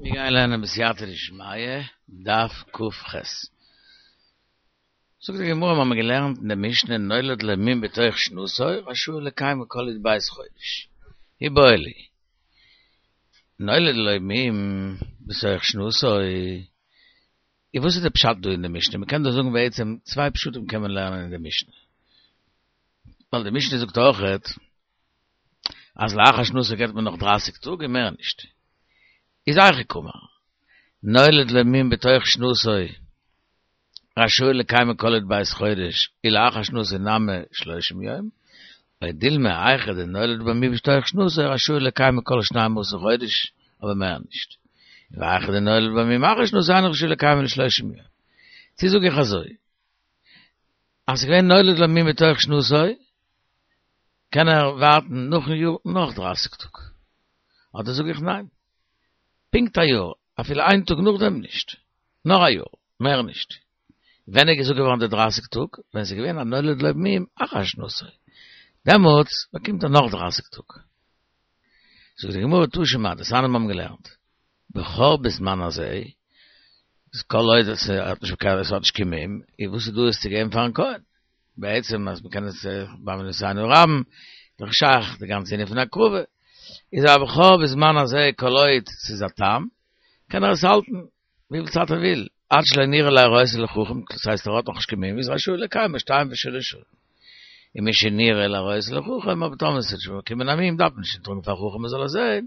מיר גייען לערנען בסייעתא דשמיא, דף ק"ח. זאגט די גמרא, מיר האבן געלערנט אין די משנה נולד לו מום בתוך שנתו רשאי לקיימו כל י"ב חודש. איבעיא להו. נולד לו מום בתוך שנתו, איז וואס איז די פשט דא אין די משנה? מ'קען דא זאגן בעצם צוויי פשטים קען מען לערנען אין די משנה. ווייל די משנה זאגט אויכעט אז לאחר שנתו געבט מען נאך דרייסיג טאג און מער נישט. איז היכי קאמר. נולד לו מום בתוך שנתו רשאי לקיימו כל י"ב חודש ולאחר שנתו נמי שלושים יום, או דילמא היכא דנולד בו מום בתוך שנתו רשאי לקיימו כל שנים עשר חודש אבער מער נישט. והיכא דנולד בו מום אחר שנתו אינו רשאי לקיימו לשלושים יום. צו זאג איך אזוי אז ס'איז געווען נולד לו מום בתוך שנתו קען ער ווארטן נאכן יאר נאך דרייסיג טאג? אדער זאג איך ניין, פונקט א יאר, אפילו איין טאג נאכדעם נישט, נאר א יאר, מער נישט. ווען איז געזאגט געווארן די דרייסיג טאג? ווען ס'איז געווען א נולד לו מום אחר שנתו, דעמאלטס באקומט ער נאך דרייסיג טאג. זאגט די גמרא תא שמע, דתניא מיר האבן געלערנט, בכור בזמן הזה, איז כל עוד עס האט נישט עס האט נישט קיין מום, איז וואס איז דא עס צו געבן פארן כהן? בעצם אז מ'קען עס בעוונותינו הרבים, איז דאך שייך די גאנצע ענין פון הקרבה, איז א בכור בזמן הזה כל עוד ס'איז א תם, קען ער עס האלטן וויפיל צייט ער וויל, עד שלא נראה להראותו לחכם, דאס הייסט ער האט נאכנישט קיין מום, איז רשאי לקיימו שתיים ושלש שנים. ומשנראה להראותו לחכם, אבער טאמער ס'האט שוין באקומען א מום דארף מען נישט טראגן פאר חכם מ'זאל עס זען,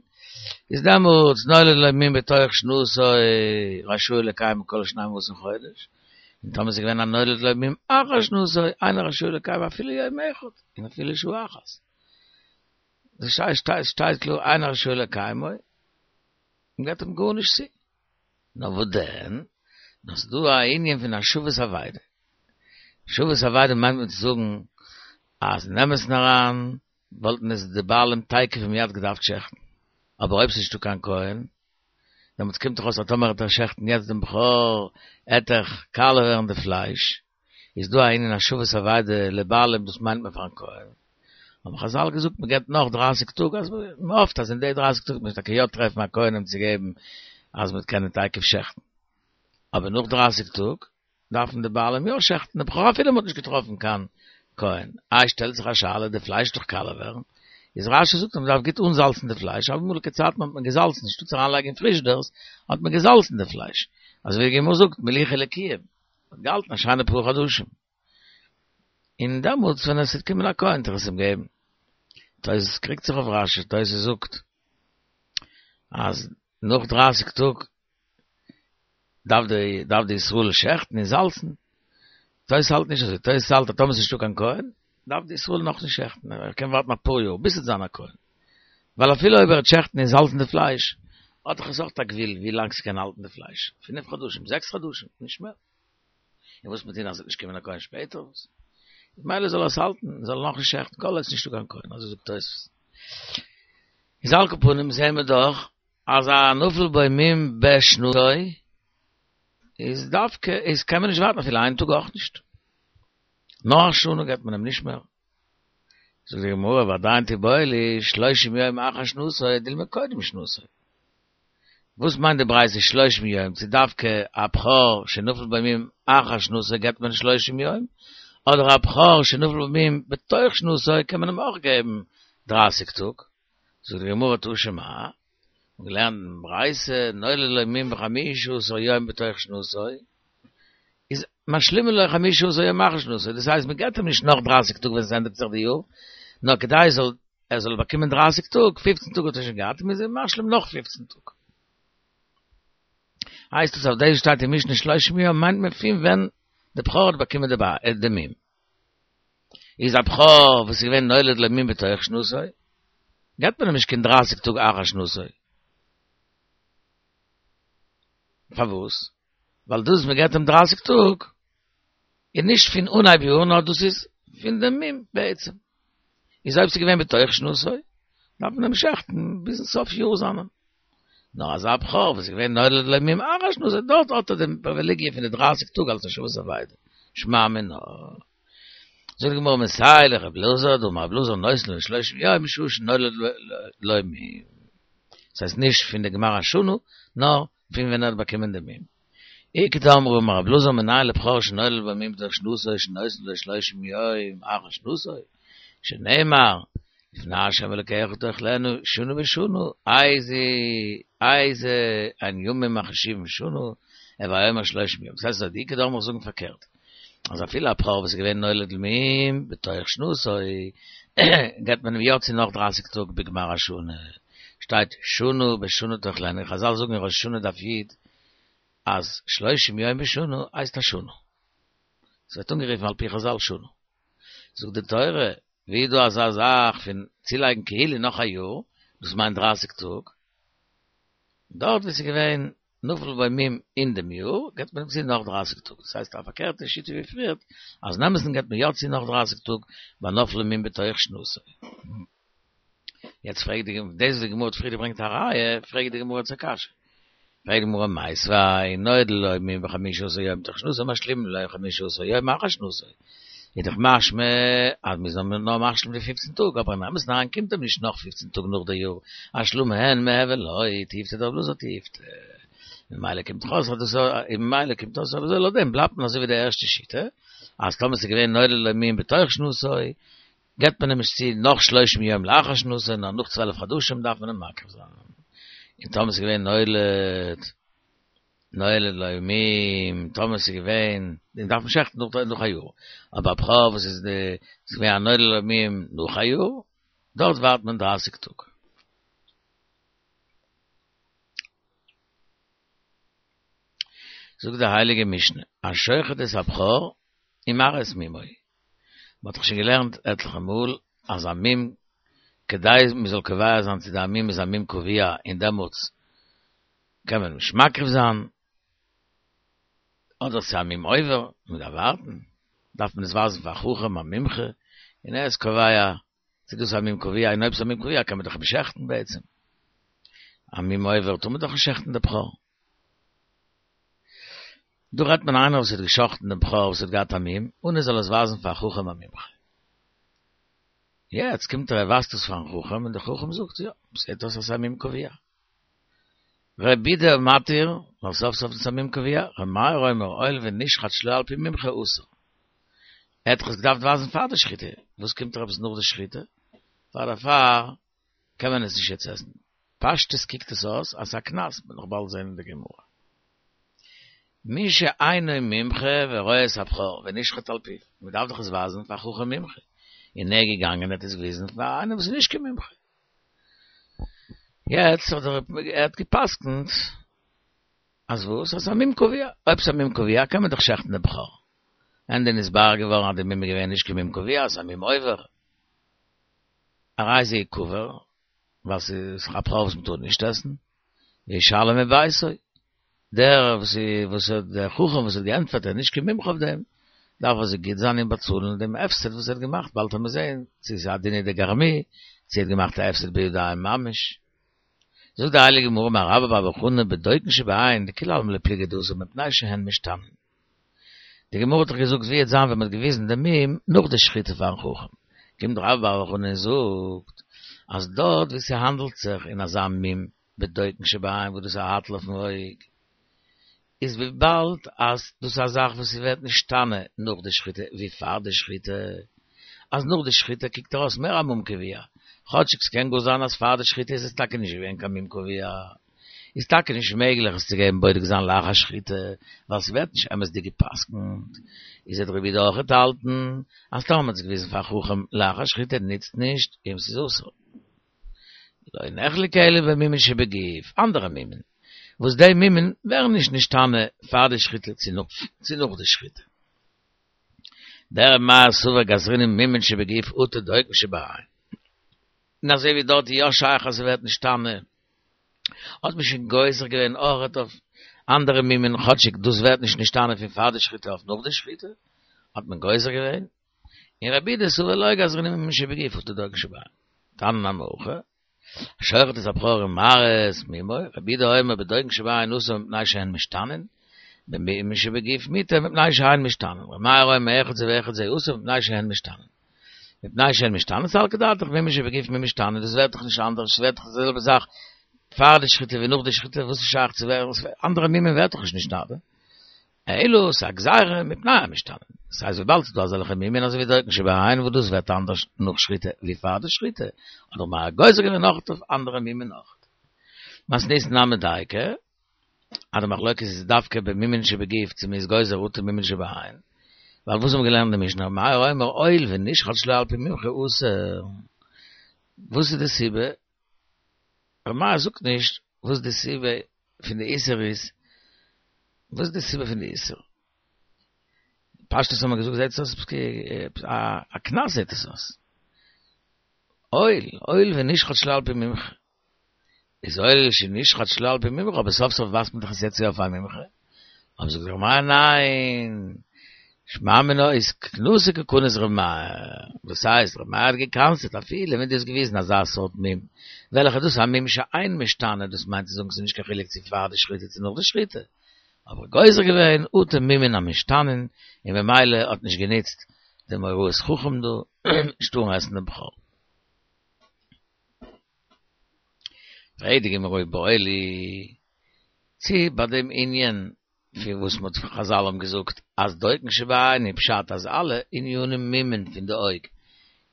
איז דעמאלטס נולד לו מום בתוך שנתו רשאי לקיימו כל שנים עשר חודש, און טאמער ס'איז געווען א נולד לו מום אחר שנתו אינו רשאי לקיימו אפילו יום אחד און אפילו שעה אחת. דאס שטייט קלאר אינו רשאי לקיימו, און געבט אים גארנישט צו. נאר וואס דען? נאר ס'איז דא א ענין פון השבת אבידה. השבת אבידה מיינט מען צו זאגן אז אין אמת'ן אריין וואלטן עס די בעלים תיכף ומיד געדארפט שעכטן, אבער אויב ס'איז נישטא קיין כהן, דעמאלטס קומט דאך אויס אז טאמער וועט ער שעכטן יעצט דעם בכור, עט דאך קאלע ווערן די פלייש, איז דא א ענין השבת אבידה לבעלים דאס מיינט מען פארן כהן, האבן חזל געזאגט מען געבט נאך דרייסיג טאג אז מען האפט אז אין די דרייסיג טאג וועט מען טאקע יא טרעפן א כהן אים צו געבן אז מען וועט קענען תיכף שעכטן, אבער נאך דרייסיג טאג דארפן די בעלים יא שעכטן די בכור אפילו מען האט נישט געטראפן קיין כהן, איי שטעלט זיך א שאלה די פלייש וועט דאך קאלע ווערן, איז רש"י זאגט אז מען דארף גוט אנזאלצן די פלייש, אמאליגע צייטן האט מען געזאלצן אנשטאט צו אריינלייגן אין פריזשדערס האט מען געזאלצן די פלייש, אזוי ווי די גמרא זאגט מליחה לקיום. האט געהאלטן א שיינע פאר חדשים, און דעמאלטס ווען עס וועט קומען א כהן וועט ער עס אים געבן. תוס' קריגט זיך אויף רש"י, תוס' זאגט אז נאך דרייסיג טאג דארף די דארף די ישראל שעכטן און זאלצן, תוס' האלט נישט אזוי, תוס' האלט אז טאמער עס איז נישטא קיין כהן דארף די ישראל נאכנישט שעכטן, ער קען ווארטן אפאר יאר ביז ס'וועט זיין א כהן, ווייל אפילו אויב ער וועט שעכטן און זאלצן די פלייש האט דאך עס אויך א גבול ווי לאנג ס'קען האלטן די פלייש, פינף חדשים, זעקס חדשים, נישט מער. און וואס מיר טון אז ס'וועט נישט קומען א כהן שפעטער וואס? מילא זאל ער עס האלטן, זאל ער נאכנישט שעכטן כל עוד ס'נישטא קיין כהן, אזוי זאגט תוספות. איז על כל פנים זעהן מיר דאך אז א נפל בו מום בשנתו איז דווקא איז קען מען נישט ווארטן אפילו איין טאג אויך נישט. נאר א שנה געבט מען אים נישט מער. זאגט די גמרא ועדיין תיבעי להו שלושים יום אחר שנתו דילמא קודם שנתו. וואס מיינט די ברייתא שלושים יום, צו דווקא א בכור שנפל בו מום אחר שנתו געבט מען שלושים יום, אדער א בכור שנפל בו מום בתוך שנתו קען מען אים אויך געבן דרייסיג טאג? זאגט די גמרא תא שמע, מ'האט געלערנט אין ברייתא נולד לו מום בחמישה עשר יום בתוך שנתו, איז משלימין לו חמישה עשר יום אחר שנתו, דאס הייסט מען געבט אים נישט נאך דרייסיג טאג ווען עס ענדיגט זיך די יאר, נאר כדי ער זאל ער זאל באקומען דרייסיג טאג, פופצן טאג האט ער שוין געהאט, מ'איז אים משלים נאך פופצן טאג. הייסט עס אויף דאס שטייט אין משנה שלושים יום מיינט מען פון ווען די בכור האט באקומען די מום. איז א בכור וואס איז געווען נולד לו מום בתוך שנתו, געבט מען אים נישט קיין דרייסיג טאג אחר שנתו. פארוואס? ווייל דאס מען געבט אים דרייסיג טאג איז נישט פון אנהייב יאר נאר דאס איז פון דעם מום בעצם. איז אויב ס'איז געווען בתוך שנתו דארף מען אים שעכטן ביזן סוף יאר זיינעם. נאר אזא בכור וואס איז געווען נולד לו מום אחר שנתו דארט האט ער דעם פריווילעגיע פון די דרייסיג טאג אלס השבת אבידה. שמע מינה. זאגט די גמרא מסייע ליה לר' אלעזר דאמר ר' אלעזר נותנין לו שלושים יום משעה שנולד לו מום. דאס הייסט נישט פון די גמר השנה, נאר פון ווען ער האט באקומען די מום. איכא דאמרי אמר רב אלעזר מנין לבכור שנולד בו מום בתוך שנתו שנותנין לו שלושים יום אחר שנתו, שנאמר לפני ה' אלקיך תאכלנו שנה בשנה, איזה איזה הן ימים החשובים שנה, הוי אומר שלושים יום. דאס הייסט אז די איכא דאמרי זאגן פארקערט, אז אפילו א בכור וואס איז געווען נולד לו מום בתוך שנתו, געבט מען אים יא צו נאך דרייסיג טאג בגמר השנה, שטייט שנה בשנה תאכלנו, חזל זאגן אין ראש השנה דף י' אז שלושים יום בשנה הייסט א שנה. ס'ווערט אנגערופן על פי חזל שנה. זאגט די תורה, ווי איז דא אזא זאך פון צולייגן כאילו נאך א יאר, דאס מיינט דרייסיג טאג, דארט ווי ס'איז געווען נפל בו מום אין דעם יאר, געבט מען אים צו נאך דרייסיג טאג, דאס הייסט א פארקערטע שיטה ווי פריערט, אז אין אמת'ן געבט מען יא צו נאך דרייסיג טאג ביי נפל בו מום בתוך שנתו. יעצט פרעגט די גמרא, דאס וואס די גמרא האט פריער געברענגט א ראיה, פרעגט די גמרא יעצט א קשיא. פרעגט די גמרא מיתיבי נולד לו מום בחמשה עשר יום מתוך שנתו משלימין לו חמשה עשר יום אחר שנתו. איז דאך משמע אז מ'איז נאר משלים די פופצן טאג, אבער אין אמת'ן אריין קומט אים נישט נאך פופצן טאג נאך די יאר, השלמה אין מיהוי לא, תיובתא דרב אלעזר תיובתא. ממילא קומט דאך אויס אז דאס ממילא קומט אויס אז לויט דעם בלייבט מען אזוי ווי די ערשטע שיטה, אז טאמער ס'איז געווען נולד לו מום בתוך שנתו, געבט מען אים נישט צו נאך שלושים יום לאחר שנתו, נאר נאך צוועלף חדשים דארף מען אים מקריב זיין. און טאמער ס'איז געווען נולד, נולד לו מום, טאמער ס'איז געווען, דעם דארף מען שעכטן נאך נאך א יאר. אבער א בכור וואס איז די, ס'איז געווען א נולד לו מום נאך א יאר, דארט ווארט מען דרייסיג טאג. זאגט די הייליגע משנה, השוחט את הבכור ומראה את מומו. מען האט דאך שוין געלערנט עטליכע מאל אז א מום, כדי מען זאל קובע זיין צו די מום איז א מום קבוע און דעמאלטס קען מען נישט מקריב זיין, אדער ס'איז א מום עובר, מען דארף ווארטן, דארף מען עס ווייזן פאר א חכם א מומחה, און ער איז קובע צו דאס איז א מום קבוע, און אויב ס'איז א מום קבוע קען מען דאך אים שעכטן בעצם. א מום עובר טאר מען דאך נישט שעכטן די בכור. דא רעדט מען איינער וואס האט געשאכטן דעם בכור וואס האט געהאט א מום, און ער זאל עס ווייזן פאר א חכם א מומחה. יעצט קומט ער ער ווייזט עס פארן חכם און דער חכם זאגט יא, זעט אויס אז ס'איז א מום קבוע. רבי יהודה מתיר, ווייל סוף סוף איז עס א מום קבוע, ר' מאיר אומר הואיל ונשחט שלא על פי מומחה אסור. ער האט דאך עס געדארפט ווייזן פאר די שחיטה, וואס קומט ער עפעס נאך די שחיטה? פאר דערפאר קען מען עס נישט יעצט עסן. פשטות קוקט עס אויס אז ס'איז א קנס, מ'וועט נאך באלד זען אין די גמרא. מי שאינו מומחה ורואה את הבכור ונשחט על פיו, מ'דארף דאך עס ווייזן פאר חכם מומחה, און ער איז געגאנגען און האט עס געוויזן פאר איינעם וואס איז נישט קיין מומחה. יעצט האט ער ער האט גע'פסק'נט אז וואס? אז ס'איז א מום קבוע. אויב ס'איז א מום קבוע קען מען דאך שעכטן די בכור. ענדע נתברר געווארן אז די מום איז געווען נישט קיין מום קבוע, ס'איז א מום עובר. הרי זה יקבר, ווייל ס'איז א בכור וואס מ'טאר נישט עסן, וישלם מביתו. דער וואס וואס האט דער חכם וואס האט געענטפערט ער איז נישט קיין מומחה אויף דעם, דארף ער זיך גוט זיין און באצאלן דעם הפסד וואס ער האט געמאכט, באלד וועט מען זען צו ס'איז א דינא דגרמי, צו ער האט געמאכט א הפסד בידיים ממש. זאגט די הייליגע גמרא אמר רבה בר בר חנה בדוקין שבעין דכולי עלמא לא פליגי דאסור מפני שהן משתנין. די גמרא האט דאך געזאגט ווי וועט זיין ווען מען האט געוויזן די מום נאך די שחיטה פארן חכם, קומט רבה בר בר חנה און זאגט אז דארט ווי ס'האנדלט זיך אין אזא מום בדוקין שבעין וואס דאס איז א האטל אויפן אויג, איז וויבאלד אז דאס איז א זאך וואס ס'ווערט נשתנה נאך די שחיטה ווי פאר די שחיטה, אז נאך די שחיטה קוקט ער אויס מער א מום קבוע, כאטשיג ס'קען גאר זיין אז פאר די שחיטה איז עס טאקע נישט געווען קיין מום קבוע, איז טאקע נישט מעגליך עס צו געבן בודק זיין לאחר שחיטה, ווייל ס'ווערט נישט אמת'דיג גע'פסק'נט. איז וועט רבי יהודה אויכעט האלטן אז טאמער מ'האט עס געוויזן פאר חכם לאחר שחיטה נוצט נישט און ס'איז אסור. לא נחלקו אלא במומין שבגוף, אנדערע מומין, וואס די מומין ווערן נישט נשתנה פאר די שחיטה צו נאך די שחיטה. דרבי מאיר סבר גזרינן מומין שבגוף אטו דוקין שבעין. און אזוי ווי דארט איז יא שייך אז ס'ווערט נשתנה, האט מען שוין גוזר געווען אויכעט אויף אנדערע מומין, כאטשיג דאס ווערט נישט נשתנה פון פאר די שחיטה אויף נאך די שחיטה, האט מען גוזר געווען, און רבי יהודה סבר לא גזרינן מומין שבגוף אטו דוקין שבעין. תניא נמי הכי, השוחט את הבכור ומראה את מומו, רבי יהודה אומר בדוקין שבעין אסור מפני שהן משתנין, במומין שבגוף מותר מפני שהן משתנין, רבי מאיר אומר אחד זה ואחד זה אסור מפני שהן משתנין. מפני שהן משתנין סלקא דעתך מומין שבגוף מי משתנה, דאס ווערט דאך נישט אנדערש, ס'ווערט דאך די זעלבע זאך. פאר די שחיטה ווי נאך די שחיטה, וואס איז שייך צו ווערן, אנדערע מומים ווערט דאך נישט נשתנה. אלא ס'איז א גזירה מפני המשתנים. דאס הייסט וויבאלד ס'איז דא אזעלכע מומין אזוי ווי דוקן שבעין וואס דאס ווערט אנדערש נאך שחיטה ווי פאר די שחיטה, האט ר' מאיר גוזר געווען נאך אויף אנדערע מומין אויך. מתניתין נמי דייקא, אז די מחלוקת איז דווקא במומין שבגוף צו מ'איז גוזר אטו מומין שבעין, ווייל וואס האבן מיר געלערנט אין די משנה ר' מאיר אומר הואיל ונשחט שלא על פי מומחה אסור. וואס איז די סיבה? ר' מאיר זאגט נישט וואס די סיבה פון די איסור איז, וואס איז די סיבה פון די איסור? פשטות האט מען געזאגט זעט עס אויס א קנס זעט עס אויס. הואיל, הואיל ונשחט שלא על פי מומחה. איז הואיל שנשחט שלא על פי מומחה, אבער סוף סוף ווייזט מען דאך עס יעצט יא אויף א מומחה. אבער זאגט ר' מאיר ניין, שמע מינה איז קנסא קא קניס ר' מאיר, דאס הייסט ר' מאיר האט גע'קנס'עט אפילו ווען דו האסט געוויזן אזא סארט מום, וועלכע דאס איז א מום שאין משתנה, דאס מיינט צו זאגן ס'איז נישט קיין חילוק צו פאר די שחיטה צו נאך די שחיטה, אבער גוזר געווען אטו מומין המשתנין, און במילא האט נישט גענוצט דעם הוראת חכם דא, נישט טארן עסן דעם בכור. פרעגט די גמרא איבעיא להו, צי ביי דעם ענין פון וואס מ'האט חזל האבן געזאגט אז דוקן שבעין איז פשט אז אלע ענינים מומין פון די אויג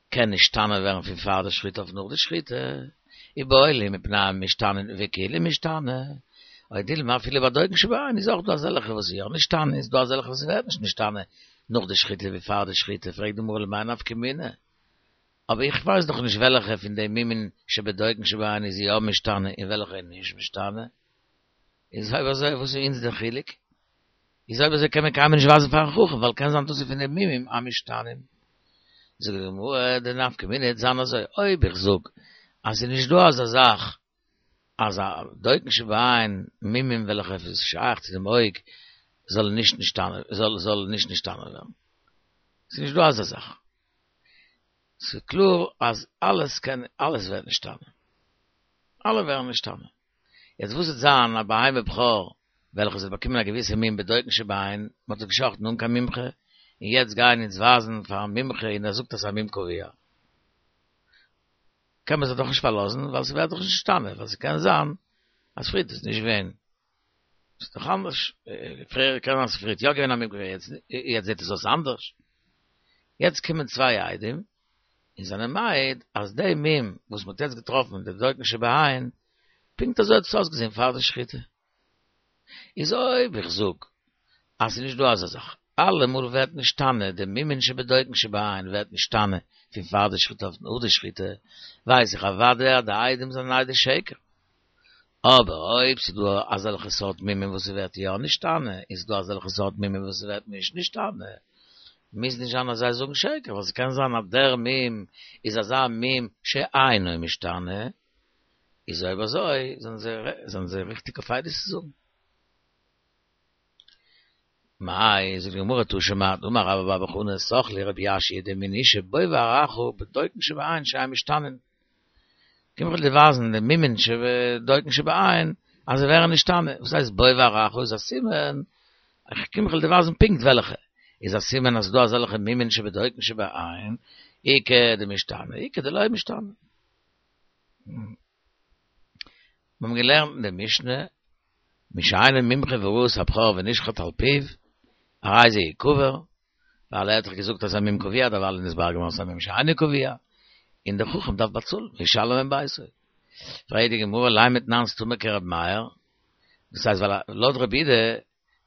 קען נשתנה ווערן פון פאר די שחיטה אויף נאך די שחיטה, איבעיא להו מפני המשתנין וכולהו משתנו, או דילמא אפילו ביי דוקן שבעין איז אויך דא אזעלכע וואס איז יא נשתנה איז דא אזעלכע וואס ווערט נישט נשתנה נאך די שחיטה ווי פאר די שחיטה, פרעגט די גמרא למאי נפקא מינה? אבער איך ווייס דאך נישט וועלכע פון די מומין שבדוקן שבעין איז יא משתנה און וועלכע איז נישט משתנה. איז אויב אזוי וואס איז אונז דער חילוק? איז אויב אזוי קען מען קיינמאל נישט ווייזן פארן חכם ווייל קען זיין דאס איז פון די מומים המשתנים. זאגט די גמרא די נפקא מינה וועט זיין אזוי אויב איך זאג אז ס'איז נישט דא אזא זאך אז א דוקן שבעין מומים וועלכע איז שייך צו דעם אויג זאל נישט נשתנה זאל זאל נישט נשתנה ווערן. ס'איז נישט דא אזא זאך. ס'איז קלאר אז אלעס קען אלעס ווערט נשתנה. אלע ווערן נשתנה. יעצט וואס וועט זיין א בהמה בכור וועלכע האט באקומען א געוויסע מום בדוקן שבעין, מען האט עס געשחט'ן אן קיין מומחה, און יעצט גייען אונז ווייזן פארן מומחה און ער זאגט אז ס'איז א מום קבוע. קען מען זיך דאך נישט פארלאזן ווייל ס'ווערט דאך נישט נשתנה, ווייל ס'קען זיין אז פריערט איז נישט געווען. ס'איז דאך אנדערש, פריער קען זיין ס'איז פריערט יא געווען א מום קבוע יעצט זעט עס אויס אנדערש. יעצט קומען צוויי עדים און זענען מעיד אז די מום וואס מ'האט יעצט געטראפן אין די דוקן שבעין, פונקט אזוי האט עס אויסגעזען פאר די שחיטה. איז אויב איך זאג אז ס'איז נישט דא אזא זאך, אלעמאל ווערט נשתנה די מומין שבדוקן שבעין ווערט נשתנה פון פאר די שחיטה אויף נאך די שחיטה, ווייס איך אוודאי אז די עדים זענען עדי שקר. אבער אויב ס'איז דא אזעלכע סארט מומים וואס ס'ווערט יא נשתנה, און ס'איז דא אזעלכע סארט מומים וואס ס'ווערט נישט נשתנה, מוז נישט זיין אז זיי זאגן שקר, ווייל ס'קען זיין אז דער מום איז אזא מום שאינו משתנה, איז אויב אזוי זענען זיי ריכטיג אויף עדות צו זאגן. מאי, זאגט די גמרא תא שמע, דאמר רבה בר בר חנה סח לי רבי יאשיה דמין אשה בו ואראך בדוקן שבעין שאין משתנין. קום איך דיר ווייזן די מומין שבדוקן שבעין אז זיי ווערן נשתנה. וואס הייסט בוא ואראך איז א סימן, איך קום איך וועל דיר ווייזן פונקט וועלכע. איז א סימן אז ס'דא אזעלכע מומין שבדוקן שבעין, איכא דמשתנה, איכא דלא משתנה. מיר האבן געלערנט אין די משנה, מי שאינו מומחה וראה את הבכור ונשחט על פיו, הרי זה יקבר, ווייל ער האט דאך געזאגט אז א מום קבוע דערווייל איז נתברר געווארן ס'איז א מום שאינו קבוע, און דער חכם דארף באצאלן, וישלם מביתו. פרעגט די גמרא לימא תנן סתמא כר' מאיר, דאס הייסט ווייל לויט רבי יהודה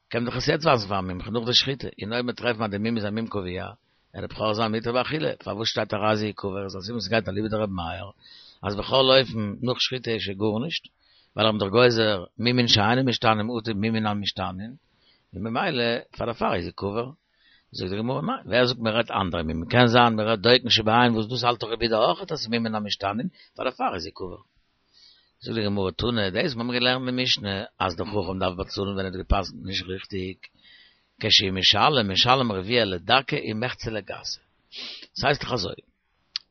קען מען דאך עס יעצט ווייזן פארן מומחה נאך די שחיטה, און אויב מיר טרעפן אז די מום איז א מום קבוע, וועט דער בכור זיין מותר באכילה, פארוואס שטייט הרי זה יקבר, איז א סימן ס'גייט אליבא דרבי מאיר, אז בכל אופן נאך שחיטה איז שוין גארנישט, ווייל ער האט דאך גוזר מומין שאינן משתנים אטו מומין המשתנים, און ממילא פאר דערפאר איז יקבר. זאגט די גמרא ניין, ווער זאגט מען רעדט אנדערע מומין, קען זיין מען רעדט דוקן שבעין וואס דאס האלט דאך רבי יהודה אויך אז ס'איז מומין המשתנים, פאר דערפאר איז יקבר. זאגט די גמרא תנא, דאס האבן מיר געלערנט אין משנה, אז דער חכם דארף באצאלן ווען ער האט גע'פסק'נט נישט ריכטיג, כשהוא משלם, משלם רביע לדקה ומחצה לגסה. דאס הייסט דאך אזוי,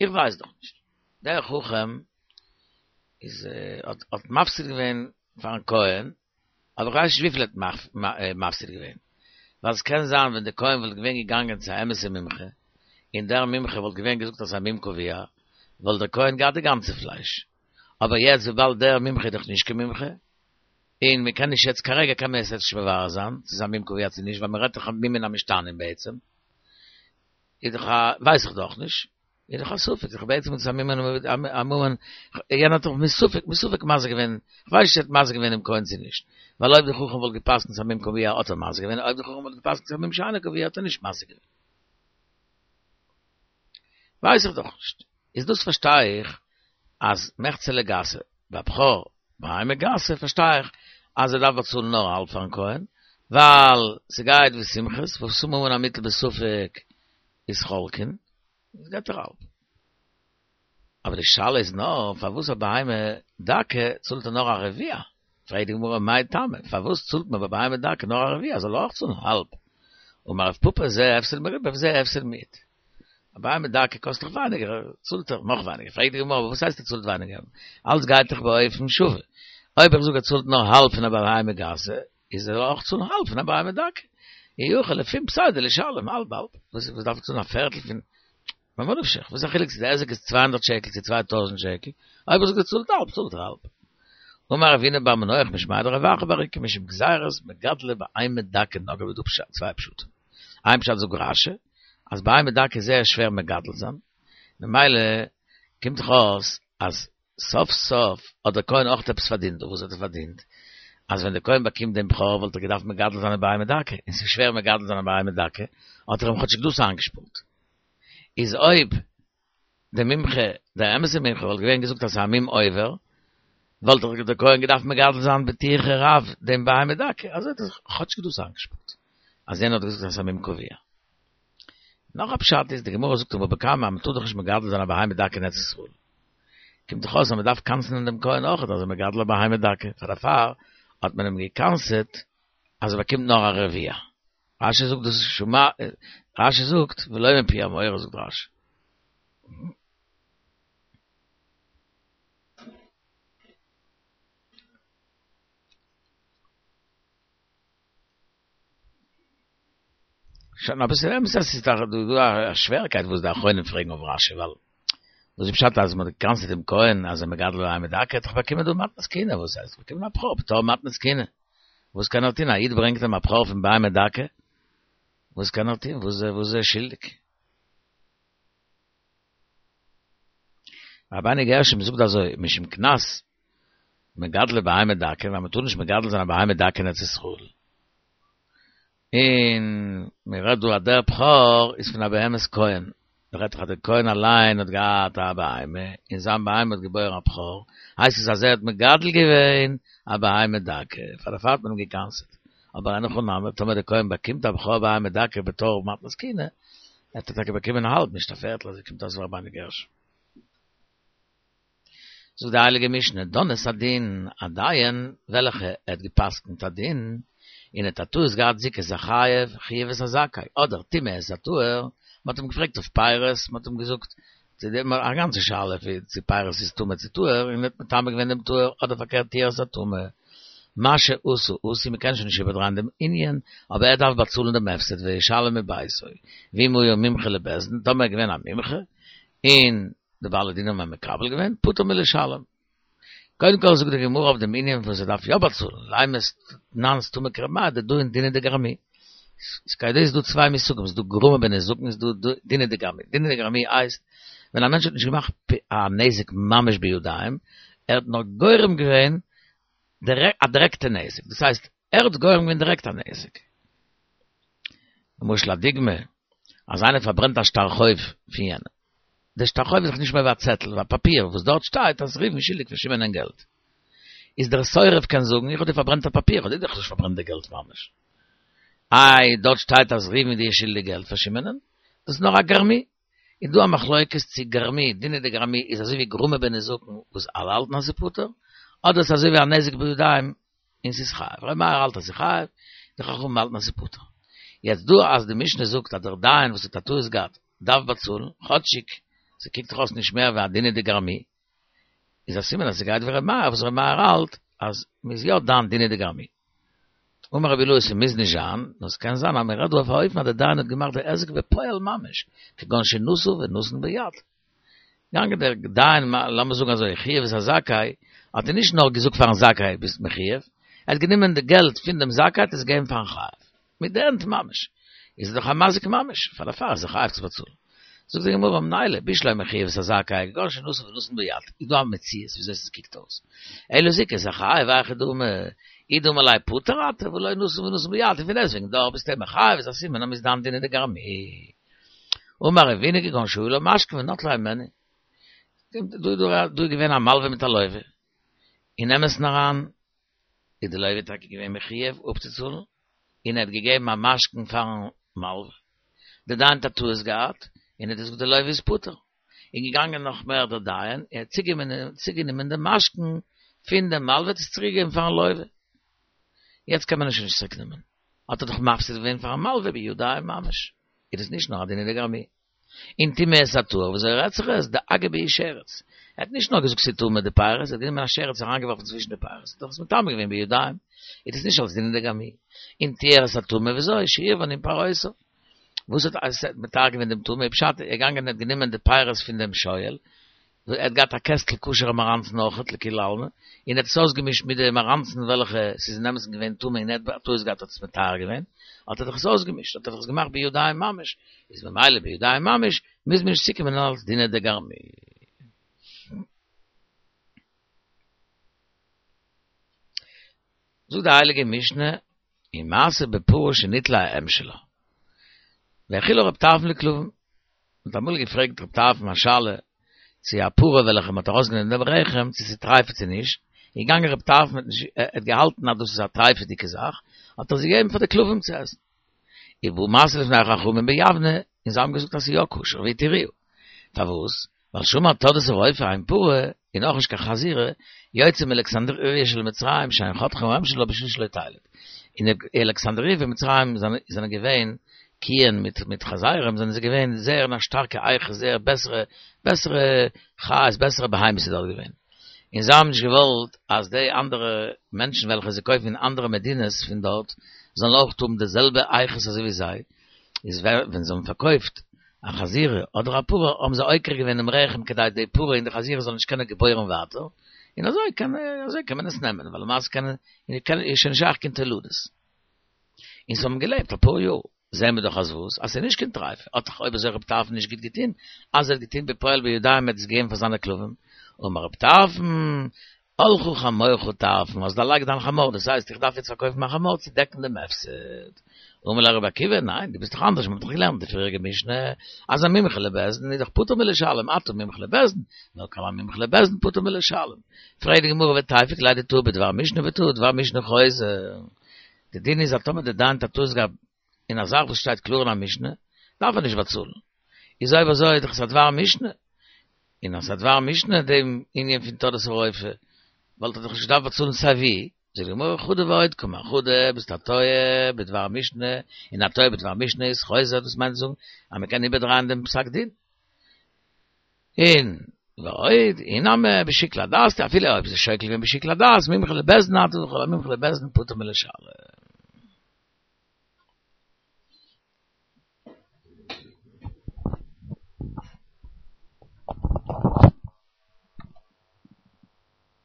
איך ווייס דאך נישט, דער חכם איז האט מפסיד געווען פארן כהן, אבער איך ווייס נישט וויפיל ער האט מפסיד געווען, ווייל עס קען זיין ווען דער כהן וואלט געווען געגאנגען צו א אמת'ע מומחה, און דער מומחה וואלט געווען געזאגט אז ס'איז א מום קבוע, וואלט דער כהן געהאט די גאנצע פלייש. אבער יעצט וויבאלד דער מומחה איז דאך נישט קיין מומחה, און מען קען נישט יעצט כרגע קען מען עס יעצט נישט מברר זיין צו ס'איז א מום קבוע צו נישט ווייל מען רעדט דאך מומין המשתנים בעצם, איז דאך א ווייס איך דאך נישט, איז דאך א ספק, איז דאך בעצם איז עס א מום א מום יענער האט דאך מספק מספק מזיק געווען, כ'ווייס נישט צו ער האט מזיק געווען דעם כהן צו נישט, ווייל אויב די חכם וואלט גע'פסק'נט ס'איז א מום קבוע האט ער מזיק געווען, אויב די חכם וואלט גע'פסק'נט ס'איז א מום שאינו קבוע האט ער נישט מזיק געווען. ווייס איך דאך נישט. איז דאס פארשטיי איך אז מחצה לגסה, ביי בכור בהמה גסה פארשטיי איך אז ער דארף באצאלן נאר האלב פארן כהן, ווייל ס'גייט ווי סומכוס, וואס ממון המוטל בספק איז חולקין, איז געבט ער האלב. אבער די שאלה איז נאר פארוואס א בהמה דקה צאלט ער נאר א רביע? פרעגט די גמרא מאי טעמא, פארוואס צאלט מען ביי בהמה דקה נאר א רביע, זאל ער אויך צאלן האלב? אמר רב פפא זה הפסד מרובה וזה הפסד מועט. א בהמה דקה קאסט דאך ווייניגער, צאלט ער נאך ווייניגער. פרעגט די גמרא וואס הייסט ער צאלט ווייניגער? אלץ גייט דאך באופן שווה. אויב איך זאג ער צאלט נאר האלב פון א בהמה גסה, איז ער זאל אויך צאלן האלב פון א בהמה דקה. אי הכי לפום פסידא לישלם האלב האלב. וואס דארף ער צאלן א פערטל פון ממה נפשך, וואס איז א חילוק צו די היזק איז 200 שקל צו 2000 שקל, אויב איך זאג ער צאלט האלב, צאלט ער האלב. אמר רב הונא בר מנוח משמיה דרב אחא בר איקא משום גזירת מגדלי בהמה דקה נגעו דא פשט, צוויי פשטים. איין פשט זאגט רש"י, אז בהמה דקה איז זייער שווער מגדל זיין, ממילא קומט דאך אויס אז סוף סוף האט דער כהן אויך עפעס פארדינט דא, וואס האט ער פארדינט? אז ווען דער כהן באקומט דעם בכור וואלט ער געדארפט מגדל זיין א בהמה דקה, און ס'איז שווער מגדל זיין א בהמה דקה, האט ער אים כאטשיג דאס איינגעשפארט. איז אויב דער מומחה, דער אמת'ער מומחה וואלט געווען געזאגט אז ס'איז א מום עובר, וואלט דאך דער כהן געדארפט מגדל זיין בטירחא רב דעם בהמה דקה, אזוי האט ער כאטשיג דאס איינגעשפארט, אז יענער האט געזאגט אז ס'איז א מום קבוע. נאך א פשט איז, די גמרא זאגט אין בבא קמא אז מ'טאר דאך נישט מגדל זיין א בהמה דקה אין ארץ ישראל. קומט דאך אויס אז מ'דארף קנס'נען דעם כהן אויכעט אז ער מגדל א בהמה דקה, פאר דערפאר האט מען אים געקנס'עט אז ער באקומט נאר א רביע. רש"י זאגט דאס איז שמע, רש"י זאגט ולא מפי המורה זאגט רש"י. שוין אבער ס'איז אמת אז ס'איז דאך דא א שווערקייט וואס די אחרונים פרעגן אויף רש"י ווייל וואס איז פשט אז מ'האט געקנס'עט דעם כהן אז ער מגדל בהמה דקה האט דאך באקומען דא מתנת כהונה וואס הייסט באקומען א בכור בתור מתנת כהונה וואס קען ער טון א איד ברענגט אים א בכור פון בהמה דקה וואס קען ער טון וואס איז ער שולדיג? רבינו גרשום זאגט אזוי משום קנס מגדלי בהמה דקה, ווייל מ'טאר נישט מגדל זיין א בהמה דקה אין ארץ ישראל. און מ'רעדט דא אז דער בכור איז פון א בהמת כהן. מ'רעדט דאך אז דער כהן אליין האט געהאט א בהמה, און זיין בהמה האט געבוירן א בכור, הייסט עס אז ער האט מגדל געווען א בהמה דקה, פאר דערפאר האט מען אים געקנס'עט. אבער אין הכי נמי, טאמער דער כהן באקומט א בכור בהמה דקה בתור מתנת כהונה, האט ער טאקע באקומען האלב, נישט א פערטל, אזוי קומט אויס רבינו גרשום. זאגט די הייליגע משנה, דן את הדין, א דיין וועלכע ער האט גע'פסק'נט א דין, און האט א טעות געהאט זיכוי את החייב, חייב את הזכאי, אדער טימא את הטהור, מען האט אים געפרעגט אויף פירות, מען האט אים געזאגט, א גאנצע שאלה צו פירות איז טמא צו טהור, און ער האט מטמא געווען דעם טהור, אדער פארקערט טיהר את הטמא. מה שעשה עשוי, מען קען שוין נישט איבערדרייען דעם ענין, אבער ער דארף באצאלן דעם הפסד וישלם מביתו. ואם היה מומחה לבית דין, טאמער ער איז געווען א מומחה, און די בעלי דינים האבן מקבל געווען, פטור מלשלם. קודם כל זאגט די גמרא אויף דעם ענין וואס ער דארף יא באצאלן, לימא תנן סתמא כר' מאיר דדאין דינא דגרמי. איז כידוע איז דא צוויי מושגים, ס'איז דא גרמא בנזקין און ס'איז דא דינא דגרמי. דינא דגרמי הייסט ווען א מענטש האט נישט געמאכט א נזק ממש בידיים, ער האט נאר גורם געווען א דירעקטע נזק, דאס הייסט ער האט גורם געווען דירעקט א נזק. למשל א דוגמא, אז איינער פארברענט א שטר חוב פון יענעם. דער שטר חוב איז דאך נישט מער ווי א צעטל, ווי א פאפיר, וואס דארט שטייט אז ראובן איז שולדיג פאר שמעונ'ען געלט. איז דער שורף קען זאגן, איך האב דיר פארברענט א פאפיר, איך האב דיר דאך נישט פארברענט די געלט ממש. איי, דארט שטייט אז ראובן איז דיר שולדיג געלט פאר שמעונ'ען? דאס איז נאר א גרמי. איז דא א מחלוקת צו גרמי, דינא דגרמי איז אזוי ווי גרמא בנזקין וואס אלע האלטן אז ס'איז פטור, אדער ס'איז אזוי ווי א נזק בידיים און ס'איז חייב. ר' מאיר האלט אז ס'איז חייב, די חכמים האלטן אז ס'איז פטור. יעצט דא אז די משנה זאגט אז דער דיין וואס האט א טעות געהאט דארף באצאלן, כאטשיג ס'קוקט דאך אויס נישט מער ווי א דינא דגרמי, איז א סימן אז ס'גייט ווי ר' מאיר, וואס ר' מאיר האלט אז מ'איז יא דן דינא דגרמי. אמר רבי אילעא ס'מוז נישט זיין, נאר ס'קען זיין אז מ'רעדט דא אויף א אופן אז דער דיין האט געמאכט די היזק בפועל ממש, כגון שנשא ונתן ביד. געגאנגען דער דיין, לאמיר זאגן אזוי, חייב את הזכאי, האט ער נישט נאר געזאגט פארן זכאי ביסט מחויב, ער האט גענומען די געלט פון דעם זכאי האט עס געגעבן פארן חייב, מיט די הענט ממש, איז ער דאך א מזיק ממש, פאר דערפאר איז ער חייב צו באצאלן. זאגט די גמרא מניליה, בשלמא חייב את הזכאי, כגון שנתן ונתן ביד, איז דא א מציאות וויאזוי עס קוקט אויס, אלא זיכה את החייב, היכי דמי, אי דאמר ליה פטור אתה והא לא נתן ונתן ביד, און פון דעסטוועגן דאך ביסטו מחייב, איז א סימן אז מ'איז דן דינא דגרמי. אמר רבינא כגון שהיו לו משכון ונטלו הימנו. דא איז געווען א מלווה מיט א לווה. אין אמת'ן אריין איז די לווה טאקע געווען מחויב אפצוצאלן, און ער האט געגעבן א משכון פארן מלווה. דער דיין האט א טעות געהאט, און ער האט געזאגט די לווה איז פטור. איז געגאנגען נאך מער דער דיין, ער האט צוגענומען דעם משכון פון דעם מלווה, האט עס צוריקגעגעבן פארן לווה. יעצט קען מען עס שוין נישט צוריקנעמען. האט ער דאך מפסיד געווען פארן מלווה בידיים ממש. איז דאס נישט נאר א דינא דגרמי. און טמא את הטהור, וויאזוי רעדט זיך עס? דאגע בהו שרץ. ער האט נישט נאר געזאגט ס'איז טמא די פירות, ער האט גענומען א שרץ אריינגעווארפן צווישן די פירות, האט ער עס מטמא געווען בידיים. איז דאס נישט אלס דינא דגרמי. און טיהר את הטמא, וויאזוי? שעירבן עם פירותיו. וואס האט ער מטהר געווען דעם טמא? פשט, ער איז געגאנגען און האט גענומען די פירות פון דעם שואל, ער האט געהאט א קעסטל כשר'ע מאראנצן אויכעט לכולי עלמא, און ער האט עס אויסגעמישט מיט די מאראנצן וועלכע ס'איז אין אמת'ן געווען טמא און ער האט א טעות געהאט האט עס מטהר געווען, האט ער דאך עס אויסגעמישט, האט ער דאך עס געמאכט בידיים ממש, איז ממילא בידיים ממש מוז מען נישט צוקומען אלס דינא דגרמי. זאגט די הייליגע משנה, ומעשה בפרה שניטלה האם שלה, והאכילה רב טרפון לכלבים, מען האט אמאל געפרעגט רב טרפון א שאלה, צו א פרה וועלכע מען האט ארויסגענומען דעם רחם, צו ס'איז טרייפה צו נישט, איז געגאנגען רב טרפון האט נישט, ער האט געהאלטן אז דאס איז א טרייפה'דיגע זאך, האט ער עס געגעבן פאר די כלבים צו עסן. ובא משא לפני חכמים ביבנה, און זיי האבן געזאגט אז ס'איז יא כשר, והתירוה. פארוואס? ווייל שאמר תורדוס הרופא אין פרה, און אויך נישט קיין חזירה, יוצאה מאלכסנדריה של מצרים שאין חותכין האם שלה בשביל שלא תלד. אין אלכסנדריה פון מצרים זענען געווען קיען מיט מיט חזירים זענען זיי געווען זייער אין א שטארקע איכות זייער בעסערע בעסערע חיות בעסערע בהמות איז דארט געווען. און זיי האבן נישט געוואלט אז די אנדערע מענטשן וועלכע זיי קויפן אין אנדערע מדינות פון דארט זאלן אויך האבן די זעלבע איכות אזוי ווי זיי, איז ווען זיי האבן פארקויפט א חזירה אדער א פרה האבן זיי עוקר געווען דעם רחם כדי די פרה און די חזירה זאלן נישט קענען געבוירן ווייטער, און אזוי קען אזוי קען מען עס נעמען, ווייל למעשה קען איז שוין נישט שייך קיין תולדות. און זיי האבן געלעבט אפאר יאר, זעהן מיר דאך אז וואס? אז ס'איז נישט קיין טרייפה, האט דאך אויב אזוי רב טרפון נישט גוט געטון, אז ער האט געטון בפועל בידיים ער האט עס געגעבן פאר זיינע כלבים, אמר רב טרפון, עלך חמורך טרפון, האסט דערלייגט דיין חמור, דאס הייסט איך דארף יעצט פארקויפן מיין חמור צו דעקן דעם הפסד. אמר ליה רבי עקיבא, ניין, דו ביסט דאך אנדערש, מ'האט דאך געלערנט די פריעריגע משנה, אז א מומחה לבית דין איז דאך פטור מלשלם, אתה מומחה לבית דין, נאר כל המומחה לבית דין פטור מלשלם. פרעגט די גמרא ותיפוק ליה דטעה בדבר משנה וטעה דבר משנה חוזר. די דין איז אז טאמער די דיין האט א טעות געהאט אין א זאך וואס שטייט קלאר אין א משנה, דארף ער נישט באצאלן. איז אויב אזוי איז דאך עס א דבר משנה. און אז ס'איז א דבר משנה דעם ענין פון תורדוס הרופא, וואלט ער דאך נישט געדארפט באצאלן סיי ווי. זאגט די גמרא חדא ועוד קאמר חדא ביסט א טועה בדבר משנה, און א טועה בדבר משנה איז חוזר, דאס מיינט צו זאגן אז מ'קען איבערדרייען דעם פסק דין. און ועוד, אי נמי בשיקול הדעת, אפילו אויב ס'איז שוקל געווען בשיקול הדעת, מומחה לבית דין אתה וכל המומחה לבית דין פטור מלשלם.